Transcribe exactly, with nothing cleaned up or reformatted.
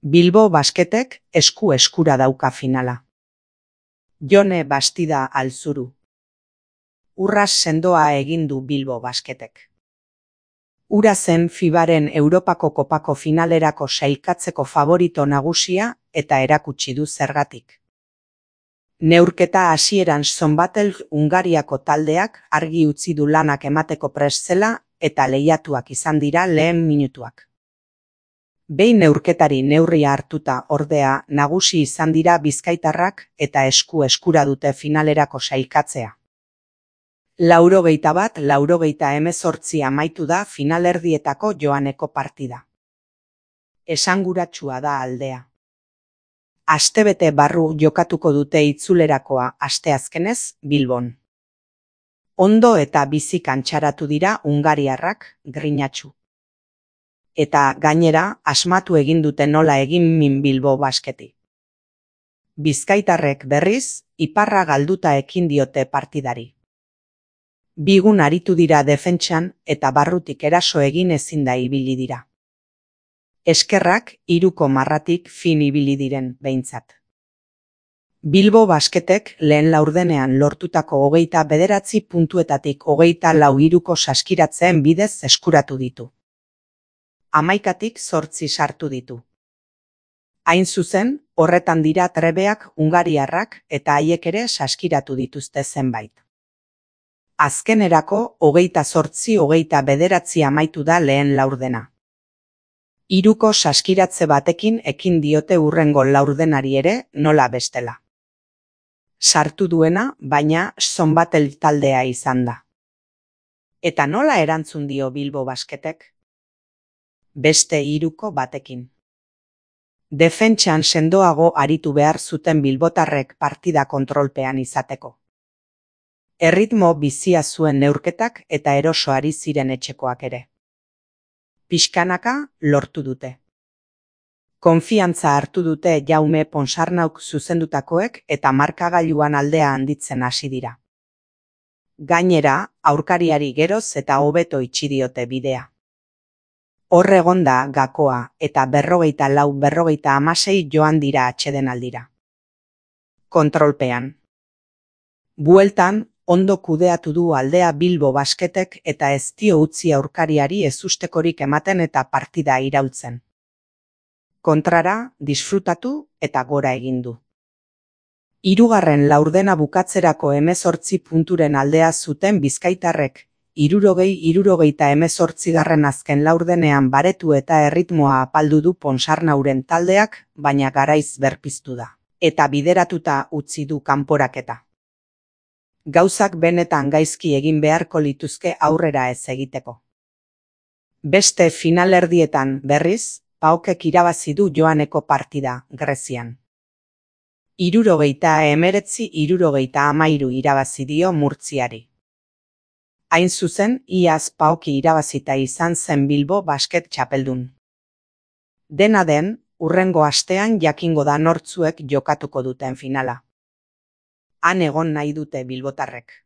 Bilbo Basketek esku eskura dauka finala. Jone Bastida Alzuru. Urras sendoa egin du Bilbo Basketek. Hura zen Fibaren Europako Kopako finalerako sailkatzeko favorito nagusia eta erakutsi du zergatik. Neurketa hasieran Zonbatel Hungariako taldeak argi utzi du lanak emateko prest zela eta lehiatuak izan dira lehen minutuak. Behin neurketari neurria hartuta ordea nagusi izan dira bizkaitarrak eta esku eskura dute finalerako sailkatzea. Laurogeita bat laurogeita hemezortzi amaitu da finalerdietako joaneko partida. Esanguratsua da aldea. Astebete barru jokatuko dute itzulerakoa asteazkenez Bilbon. Ondo eta bizi kantxaratu dira hungariarrak, grinatsu. Eta gainera asmatu egin dute nola egin min Bilbo Basketi. Bizkaitarrek berriz, iparra galduta ekin diote partidari. Bigun aritu dira defentsan eta barrutik eraso egin ezin da ibili dira. Eskerrak hiruko marratik fin ibili diren behintzat. Bilbo Basketek lehen laurdenean lortutako hogeita bederatzi puntuetatik hogeita lau hiruko saskiratzeen bidez eskuratu ditu. Hamaikatik zortzi sartu ditu. Hain zuzen, horretan dira trebeak hungariarrak eta haiek ere saskiratu dituzte zenbait. Azkenerako hogeita zortzi hogeita bederatzi amaitu da lehen laurdena. Hiruko saskiratze batekin ekin diote hurrengo laurdenari ere nola bestela. Sartu duena, baina Zonbatel taldea izan da. Eta nola erantzun dio Bilbo Basketek? Beste hiruko batekin. Defentsan sendoago aritu behar zuten bilbotarrek partida kontrolpean izateko. Erritmo bizia zuen neurketak eta eroso ari ziren etxekoak ere. Pixkanaka lortu dute. Konfiantza hartu dute Jaume Ponsarnauk zuzendutakoek eta markagailuan aldea handitzen hasi dira. Gainera, aurkariari geroz eta hobeto itxi diote bidea. Hor egon da gakoa eta berrogeita lau berrogeita hamasei joan dira atsedenaldira. Kontrolpean. Bueltan, ondo kudeatu du aldea Bilbo Basketek eta ez dio utzi aurkariari ezustekorik ematen eta partida iraultzen. Kontrara, disfrutatu eta gora egin du. Hirugarren laurdena bukatzerako hemezortzi punturen aldea zuten bizkaitarrek, hirurogei hirurogeita hemezortzigarren azken laurdenean baretu eta erritmoa apaldu du Ponsarnauren taldeak, baina garaiz berpiztu da, eta bideratuta utzi du kanporaketa. Gauzak benetan gaizki egin beharko lituzke aurrera ez egiteko. Beste finalerdietan berriz, Paokek irabazi du joaneko partida, Grezian. Hirurogeita hemeretzi hirurogeita hamairu irabazi dio Murtziari. Hain zuzen, iaz Paoki irabazita izan zen Bilbo Basket txapeldun. Dena den, hurrengo astean jakingo da nortzuek jokatuko duten finala. Han egon nahi dute bilbotarrek.